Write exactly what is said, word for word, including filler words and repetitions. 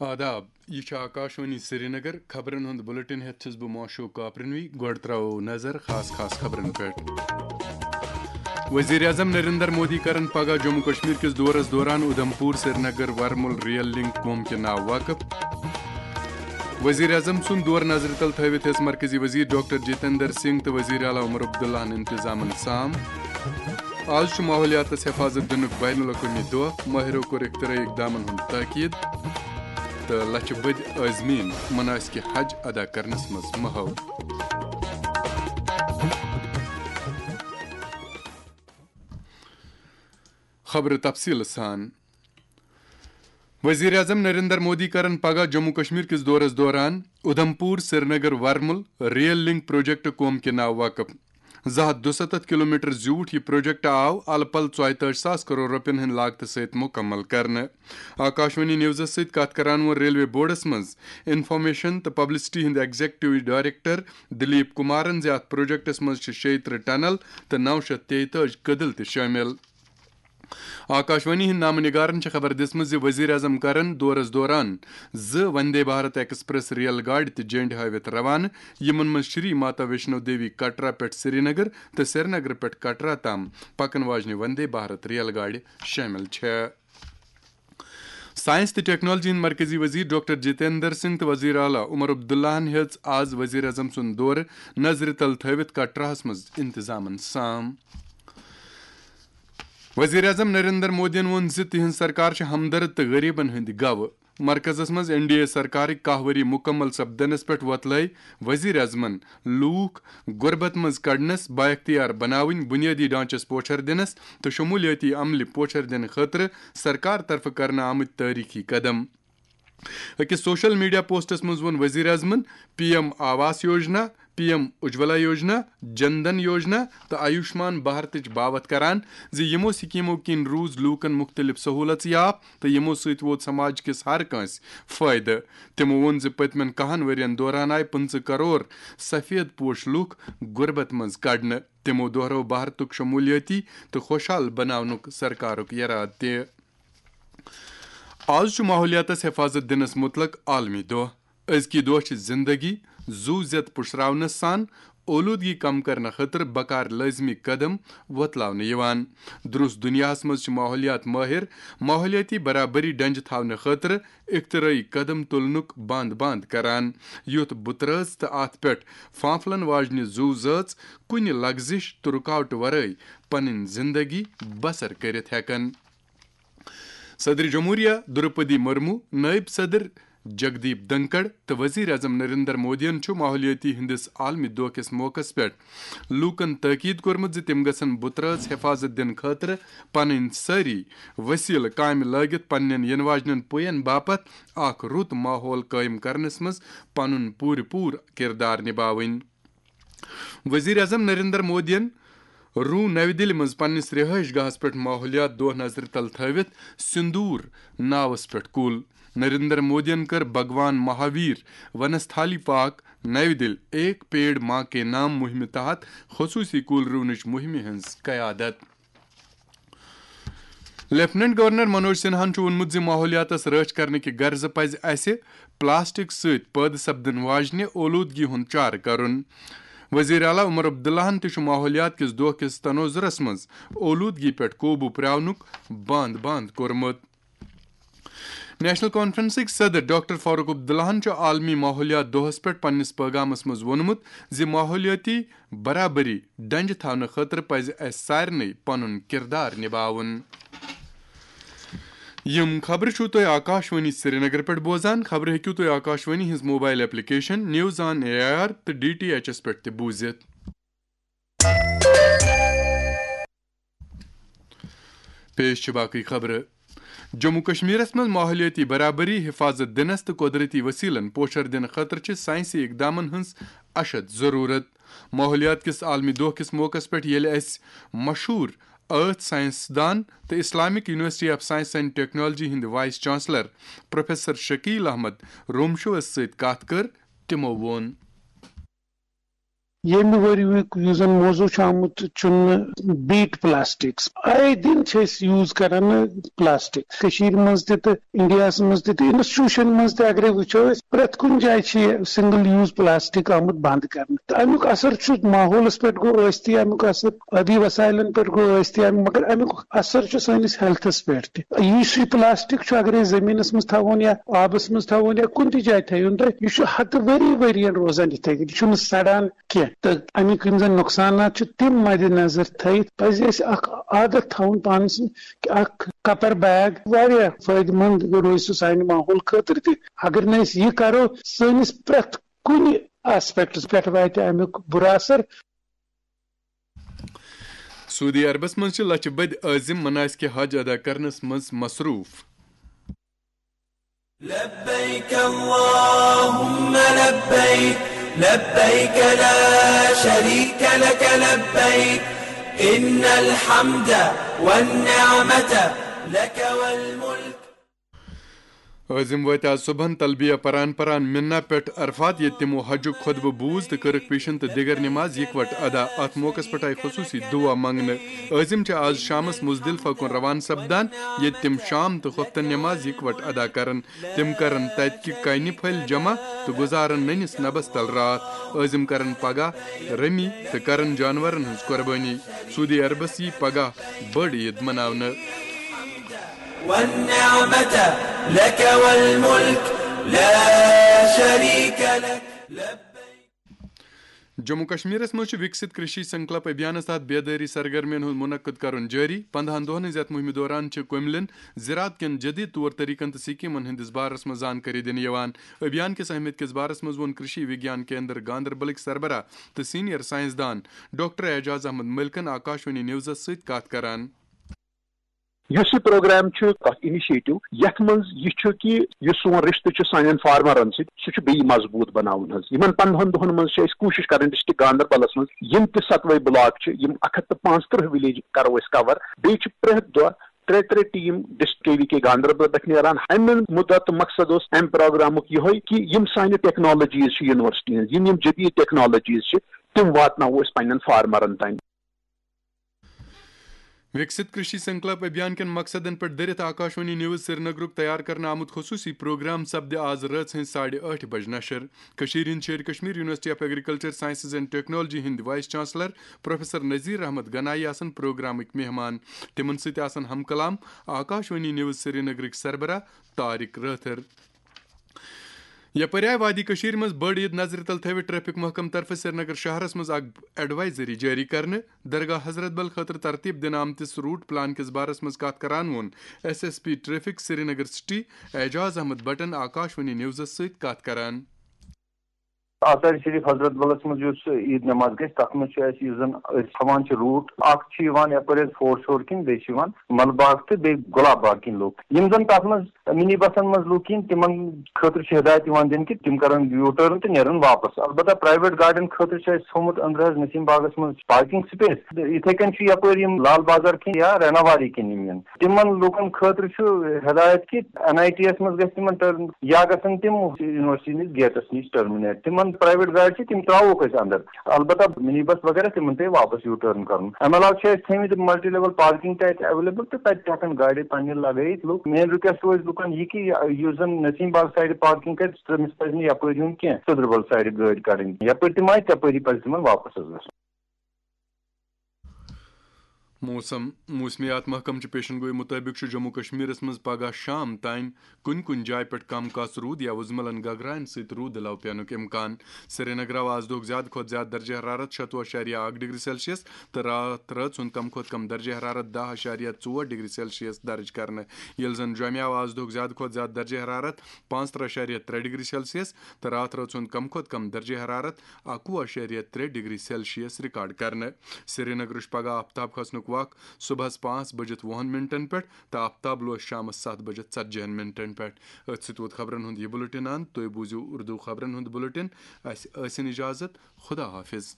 آداب، یہِ چھُ آکاشوانی سرینگر۔ خبرن ہُنٛد بلیٹن ہٮ۪تھ چھُس بہٕ معشوق کاپرنوی۔ گۄڈٕ ترٛاوو نظر خاص خاص خبرن پٮ۪ٹھ۔ وزیر اعظم نریندر مودی کرن پگاہ جموں کشمیر کِس دورس دوران اودھمپور سرینگر ورمُل ریل لنک قوم کہِ ناو وقف۔ وزیر اعظم سُنٛد دور نظرِ تل تھٲوِتھ ہیٚژ مرکزی وزیر ڈاکٹر جتیندر سنگھ تہٕ وزیر اعلیٰ عمر عبداللہن انتظامن سام۔ آز چھُ ماحولیاتس حفاظت دِنُک بین الاقوٲمی دۄہ۔ مٲہرو کوٚر اختراعی اقدامن ہُنٛد تاکید تہٕ لچھِ بٔدۍ عازمین مناسکِ حج ادا کرنس منٛز محو۔ خبرٕ تفصیٖلہٕ سان۔ وزیر اعظم نریندر مودی کرن پگاہ جموں کشمیر کِس دورس دوران Udhampur Srinagar Warmul rail link project قوم کہِ ناو وقف۔ زٕ ہتھ دُستتھ کلومیٹر زیوٗٹھ یہِ پروجیکٹ آو الہٕ پلہٕ ژۄیہِ تٲجۍ ساس کرور رۄپین ہٕنٛدِ لاگتہٕ سۭتۍ مکمل کرنہٕ۔ آکاشوانی نیوزس سۭتۍ کتھ کران ووٚن ریلوے بورڈس منٛز انفارمیشن تہٕ پبلسٹی ہٕنٛدۍ ایگزیکٹو ڈائریکٹر دلیپ کمارن زِ اتھ پروجیکٹس منٛز چھِ شیٚیہِ ترٕہ ٹنل تہٕ نو شیتھ تیٚیہِ تٲجۍ کدل تہِ شٲمِل۔ آکاشوانی ہٕنٛدۍ نامہٕ نگارن چھےٚ خبر دِژمٕژ زِ وزیر اعظم کرن دورس دوران زٕ وندے بھارت ایکسپریس ریل گاڑِ تہِ جنڈِ ہٲوِتھ روانہٕ، یِمن منٛز شری ماتا ویشنو دیوی کٹرا پٮ۪ٹھ سرینگر تہٕ سرینگر پٮ۪ٹھ کٹرا تام پکن واجنہِ وندے بھارت ریل گاڑِ شٲمِل چھےٚ۔ ساینس تہٕ ٹیکنالوجی ہٕنٛدۍ مرکزی وزیر ڈاکٹر جتیندر سنگھ تہٕ وزیر اعلیٰ عمر عبداللہن ہیٚژ آز وزیر اعظم سُنٛد دورٕ نظرِ تل تھٲوِتھ کٹراہس منٛز انتظامن سام۔ وزیر اعظم نریندر مودیَن ووٚن زِ تِہنٛز سرکار چھِ ہمدرد تہٕ غریبن ہٕنٛدِ گواہ۔ مرکزس منٛز این ڈی اے سرکارٕکۍ کاہ ؤری مکمل سپدنس پٮ۪ٹھ وۄتلٲے وزیر اعظمن لوٗکھ غربت منٛز کڑنس بااختیار بناوٕنۍ، بنیٲدی ڈھانچس پوچھر دِنس تہٕ شمولیٲتی عملہِ پوچھر دِنہٕ خٲطرٕ سرکار طرفہٕ کرنہٕ آمٕتۍ تٲریخی قدم۔ أکِس سوشل میڈیا پوسٹس منٛز ووٚن وزیر اعظمن P M Awas Yojana, P M Ujjwala Yojana, جن دھن یوجنا تہٕ آیوشمان بھارتٕچ باوتھ کران زِ یِمو سکیمو کِنۍ روٗز لوٗکن مُختٔلِف سہوٗلژ یافتہٕ تہٕ یِمو سۭتۍ ووت سماج کِس ہر کٲنٛسہِ فٲیدٕ۔ تِمو ووٚن زِ پٔتمٮ۪ن کاہن ؤرین دوران آیہِ پٕنٛژٕہ کرور سفید پوش لوٗکھ غربت منٛز کڑنہٕ۔ تِمو دوہرٲو بھارتُک شمولیٲتی تہٕ خۄشحال بناونُک سرکارُک یرادٕ تہِ۔ آز چھُ ماحولیاتس حفاظت دِنس مُتعلق عالمی دۄہ۔ أزکی دۄہ چھِ زندگی، زُو زیت پُشراونس سان اولوٗدگی کم کرنہٕ خٲطرٕ بکار لٲزمی قدم وۄتلاونہٕ یِوان۔ درُس دُنیاہس منٛز چھِ ماحولیات مٲہِر ماحولیٲتی برابری ڈنجہِ تھاونہٕ خٲطرٕ اختراعی قدم تُلنُک بند بند کران، یُتھ بُترٲژ تہٕ اتھ پٮ۪ٹھ فانپھلن واجنہِ زُو زٲژ کُنہِ لغزش تہٕ رُکاوٹہٕ ورٲے پنٕنۍ زندگی بسر کٔرِتھ ہٮ۪کن۔ صدر جمہوریہ دروپدی مرمو، نائب صدر جگدیپ دھنکڑ تہٕ وزیر اعظم نریندر مودیَن چھُ ماحولیٲتی ہٕنٛدِس عالمی دۄہ کِس موقعس پٮ۪ٹھ لوٗکَن تٲکید کوٚرمُت زِ تِم گژھن بُترٲژ حفاظت دِنہٕ خٲطرٕ پنٕنۍ سٲری وسیلہٕ کامہِ لٲگِتھ پننٮ۪ن یِنہٕ واجنٮ۪ن پُین باپتھ اکھ رُت ماحول قٲیِم کرنس منٛز پنُن پوٗرٕ پوٗرٕ کردار نباوٕنۍ۔ وزیر اعظم نریندر مودیَن روٗ نَوِ دِلہِ منٛز پننِس رہٲیِش گاہس پٮ۪ٹھ ماحولیات دۄہ نظرِ تل تھٲوِتھ سندوٗر ناوس پٮ۪ٹھ کُل۔ نریندر مودیَن کٔر بھگوان مہاویر ونستھالی پارک، نَوِ دِلہِ ایک پیڑ ماں کے نام مُہِمہِ تحت خصوٗصی کُل رُونٕچ مُہِمہِ ہٕنٛز قیادت۔ لیفٹیننٹ گورنر منوج سنہاہن چھُ ووٚنمُت زِ ماحولیاتس رٲچھ کرنہٕ کہِ غرضہٕ پزِ اسہِ پلاسٹک سۭتۍ پٲدٕ سپدن واجنہِ اولوٗدگی ہُنٛد چارٕ کرُن۔ وزیر اعلیٰ عمر عبداللہن تہِ چھُ ماحولیات کِس دۄہ کِس تنوظرس منٛز اولوٗدگی پٮ۪ٹھ قوبوٗ پراونُک بند بند کوٚرمُت۔ نیشنل کانفرنسٕکۍ صدر ڈاکٹر فاروق عبداللہن چھُ عالمی ماحولیات دۄہس پٮ۪ٹھ پننِس پٲغامس منٛز ووٚنمُت زِ ماحولیٲتی برابری ڈنجہِ تھاونہٕ خٲطرٕ پزِ اسہِ سارنٕے پنُن کردار نباوُن۔ یِم خبرٕ چھِو تُہۍ آکاشوانی سرینگر پٮ۪ٹھ بوزان۔ خبرٕ ہیٚکِو تُہۍ آکاشوانی ہٕنٛز mobile application news on A I R تہٕ ڈی ٹی ایچ ایس پٮ۪ٹھ تہِ بوٗزِتھ۔ پیش چھِ باقٕے خبرٕ۔ جموں کشمیرس منٛز ماحولیٲتی برابری حفاظت دِنس تہٕ قۄدرتی وسیلن پوچھر دِنہٕ خٲطرٕ چھِ ساینسی اقدامن ہٕنٛز اشد ضروٗرت۔ ماحولیات کِس عالمی دۄہ کِس موقعس پٮ۪ٹھ ییٚلہِ اَسہِ مشہوٗر ٲتھ ساینس دان تہٕ Islamic university of science and technology ہٕنٛدۍ vice chancellor professor Shakeel Ahmad رومشوس سۭتۍ کتھ کٔر، تِمو ووٚن۔ ییٚمہِ ؤریُک یُس زن موضوع چھُ آمُت چُننہٕ، بیٹ پلاسٹکس، آئے دن چھِ أسۍ یوز کران پلاسٹک کٔشیٖرِ منٛز تہِ تہٕ انڈیاہس منٛز تہِ تہٕ انسٹیٹیوشن منٛز تہِ۔ اگرے وٕچھو أسۍ، پرٛٮ۪تھ کُنہِ جایہِ چھِ یہِ سنگل یوز پلاسٹک آمُت بند کرنہٕ، تہٕ امیُک اثر چھُ ماحولس پٮ۪ٹھ گوٚو ٲسۍ تہِ، امیُک اثر ٲبی وسائلن پٮ۪ٹھ گوٚو ٲسۍ تہِ، امیُک، مگر امیُک اثر چھُ سٲنِس ہیلتھس پٮ۪ٹھ تہِ۔ یُس یہِ پلاسٹک چھُ، اگرے زٔمیٖنس منٛز تھاوون یا آبس منٛز تھاوون یا کُنہِ تہِ جایہِ تھٲیون تُہۍ، یہِ چھُ ہتہٕ ؤری ؤرین روزان یِتھے کٔنۍ، یہِ چھُنہٕ سڑان کینٛہہ۔ تہٕ امیُک یِم زن نۄقصانات چھِ، تِم مدِ نظر تھٲیِتھ پزِ اَسہِ اکھ عادت تھاوُن پانس سۭتۍ کہِ اکھ کپر بیگ واریاہ فٲیدٕ مند روزِ سُہ سانہِ ماحول خٲطرٕ تہِ۔ اگر نہٕ أسۍ یہِ کرو، سٲنِس پرٛٮ۪تھ کُنہِ آسپیکٹس پٮ۪ٹھ واتہِ امیُک بُرٕ اثر۔ سعودی عربس منٛز چھِ لچھِ بٔدۍ عٲزِم مناسکِ حج ادا کرنس منٛز مصروٗف۔ لبيك اللهم لبيك، لبيك لا شريك لك لبيك، إن الحمد والنعمة لك والملك۔ عٲزِم وٲتۍ آز صُبحن تلبیہ پران پران مِنہ پٮ۪ٹھ عرفات، ییٚتہِ تِمو حجُک خطبہٕ بوٗز تہٕ کٔرٕکھ پیشن تہٕ دیگر نماز یکوٹہٕ ادا۔ اتھ موقعس پٮ۪ٹھ آیہِ خصوٗصی دُعا منٛگنہٕ۔ عٲزِم چھِ آز شامس مزدلفہ کُن روانہٕ سپدان، ییٚتہِ تِم شام تہٕ خۄفتن نماز یکوٹہٕ ادا کرن۔ تِم کرن تتہِ کہِ کنہِ پھٔلۍ جمع تہٕ گُزارن نٔنِس نبس تل راتھ۔ عٲزِم کرن پگاہ رمی تہٕ کرن جانورن ہٕنٛز قۄربٲنی۔ سعودی عربس یی پگاہ بٔڑ عید مناونہٕ۔ والنعمة لك والملك لا شريك لك، لبيك۔ جموں کشمیرس منٛز چھُ وِکسِت کرشی سنکلپ ابھیانس تحت بیدٲری سرگرمین ہُنٛد منعقد کرُن جٲری۔ پندہن دۄہن ہٕنٛز یتھ مُہِمہِ دوران چھِ کٔملٮ۪ن زراعت کٮ۪ن جدید طور طریقن تہٕ سکیمن ہٕنٛدِس بارس منٛز زانکٲری دِنہٕ یِوان۔ ابھیان کِس اہمیت کِس بارس منٛز ووٚن کرشی وگیان کیندر گاندربلٕکۍ سربراہ تہٕ سینئر سائنسدان ڈاکٹر اعجاز احمد ملکن آکاشوانی نیوزس سۭتۍ کتھ کران۔ یُس یہِ پروگرام چھُ، اکھ انیشیٹو، یتھ منٛز یہِ چھُ کہِ یُس سون رشتہٕ چھُ سانٮ۪ن فارمرن سۭتۍ، سُہ چھُ بیٚیہِ مضبوٗط بناوُن حظ۔ یِمن پندہن دۄہن منٛز چھِ أسۍ کوٗشش کران ڈسٹرکٹ گاندربلس منٛز یِم تہِ ستوے بلاک چھِ، یِم اکھ ہتھ تہٕ پانٛژترٕہ ولیج کرو أسۍ کور۔ بیٚیہِ چھِ پرٛٮ۪تھ دۄہ ترٛےٚ ترٛےٚ ٹیم ڈسٹرکٹ کے وی کے گاندربل پٮ۪ٹھ نیران۔ امہِ مُدعا تہٕ مقصد اوس امہِ پروگرامُک یِہوٚے کہِ یِم سانہِ ٹیکنالوجیز چھِ یونیورسٹی ہٕنٛز، یِم یِم جدید ٹیکنالوجیز چھِ، تِم واتناوو أسۍ پننٮ۪ن فارمرن تام۔ وِکسِت کرشی سنکلپ ابھیان کٮ۪ن مقصدن پٮ۪ٹھ دٔرِتھ آکاشوانی نیوز سرینگرُک تیار کرنہٕ آمُت خصوٗصی پروگرام سپدِ آز رٲژ ہٕنٛزِ ساڑِ ٲٹھِ بجہِ نشر۔ کٔشیٖرِ ہٕنٛدۍ چھِ Kashmir university of agriculture sciences and technology ہٕنٛدۍ vice chancellor professor Nazir Ahmad Ganai آسن پروگرامٕکۍ مہمان۔ تِمن سۭتۍ آسن ہم کلام آکاشوانی نیوز سرینگرٕکۍ سربراہ طارق رٲتھر۔ یپٲرۍ آیہِ وادی کٔشیٖرِ منٛز بٔڑ عید نظرِ تل تھٲوِتھ ٹریفک محکمہٕ طرفہٕ سرینگر شہرس منٛز اکھ ایڈوائزری جٲری کرنہٕ۔ درگاہ حضرت بل خٲطرٕ ترتیب دِنہٕ آمتِس روٹ پلان کِس بارس منٛز کتھ کران ووٚن S S P traffic Srinagar city Ejaz Ahmad بٹن آکاشوانی نیوزس سۭتۍ کتھ کران۔ آثار شریف حضرت بلس منٛز یُس عید نماز گژھِ، تتھ منٛز چھُ اَسہِ، یُس زن أسۍ تھاوان چھِ روٹ، اکھ چھُ یِوان یپٲرۍ حظ فورٹ شور کِنۍ، بیٚیہِ چھِ یِوان مل باغ تہٕ بیٚیہِ گۄلاب باغ کِنۍ لوٗکھ۔ یِم زن تتھ منٛز منی بسن منٛز لوٗکھ یِن، تِمن خٲطرٕ چھِ ہدایت یِوان دِنہٕ کہِ تِم کرن یوٗ ٹٲرن تہٕ نیرن واپس۔ البتہ پرائیویٹ گاڑٮ۪ن خٲطرٕ چھُ اَسہِ تھوٚومُت أنٛدرٕ حظ نسیم باغس منٛز پارکنگ سپیس۔ تہٕ یِتھے کٔنۍ چھُ یپٲرۍ یِم لال بازار کِنۍ یا ریناواری کِنۍ یِم یِن۔ تِمن لوٗکن خٲطرٕ چھُ ہدایت کہِ این آئی ٹی یس منٛز گژھِ تِمن ٹرن، یا گژھن تِم یونیورسٹی نِش گیٹس نِش ٹرمنیٹ۔ تِمن پرائیویٹ گاڑِ چھِ، تِم تراووکھ أسۍ اندر۔ البتہ منی بس وغیرہ تِمن پیٚیہِ واپس یوٗ ٹرن کرُن۔ امہِ علاوٕ چھِ اَسہِ تھٲومٕتۍ ملٹی لیول پارکنگ تہِ اَتہِ اویلیبل تہٕ تَتہِ تہِ ہٮ۪کن گاڑِ پننہِ لگٲیِتھ لُکھ۔ مین ریکویسٹ روزِ لُکن یہِ کہِ یُس زن نسیم باغ سایڈٕ پارکنگ کرِ، تٔمِس پزِ نہٕ یپٲرۍ یُن کینٛہہ، سدربل سایڈٕ گٲڑۍ کڑٕنۍ۔ یپٲرۍ تِم آیہِ، تپٲری پزِ تِمن واپس حظ گژھُن۔ موسم۔ موسمیات محکمہٕ چہِ پیشن گوئی مُطٲبِق چھُ جموں کشمیرس منٛز پگہہ شام تام کُنہِ کُنہِ جایہِ پٮ۪ٹھ کم کس روٗد یا وُزملن گگراین سۭتۍ روٗد علاوٕ پینُک امکان۔ سرینگر آو آز دۄہُک زیادٕ کھۄتہٕ زیادٕ درجہ حرارت شتوُہ اَشاریہ اَکھ ڈگری سیلسیس تہٕ راتھ رٲژ ہُنٛد کم کھۄتہٕ کم درجہ حرارت دَہ اَشاریہ ژور ڈگری سیلسیس درج کرنہٕ، ییٚلہِ زن جوٚمہِ آو آز دۄہُک زیادٕ کھۄتہٕ زیادٕ درجہ حرارت پانٛژترٕہ اَشاریہ ترٛےٚ ڈگری سیلسیس تہٕ راتھ رٲژ ہُنٛد کم کھۄتہٕ کم درجہ حرارت اَکوُہ اَشاریہ ترٛےٚ ڈگری سیلسیس ریکارڈ کرنہٕ۔ سرینگرٕچ پگہہ آفتاب کھسنُک وق صبحس پانٛژھ بجِتھ وُہن منٹن پٮ۪ٹھ تہٕ آفتاب لوس شامس ستھ بجِتھ ژتجی ہن منٹن پٮ۪ٹھ۔ أتھۍ سۭتۍ ووت خبرن ہُنٛد یہِ بُلٹن اند۔ تُہۍ بوٗزِو اردو خبرن ہُنٛد بُلٹن۔ اسہِ ٲسِن اجازت۔ خدا حافظ۔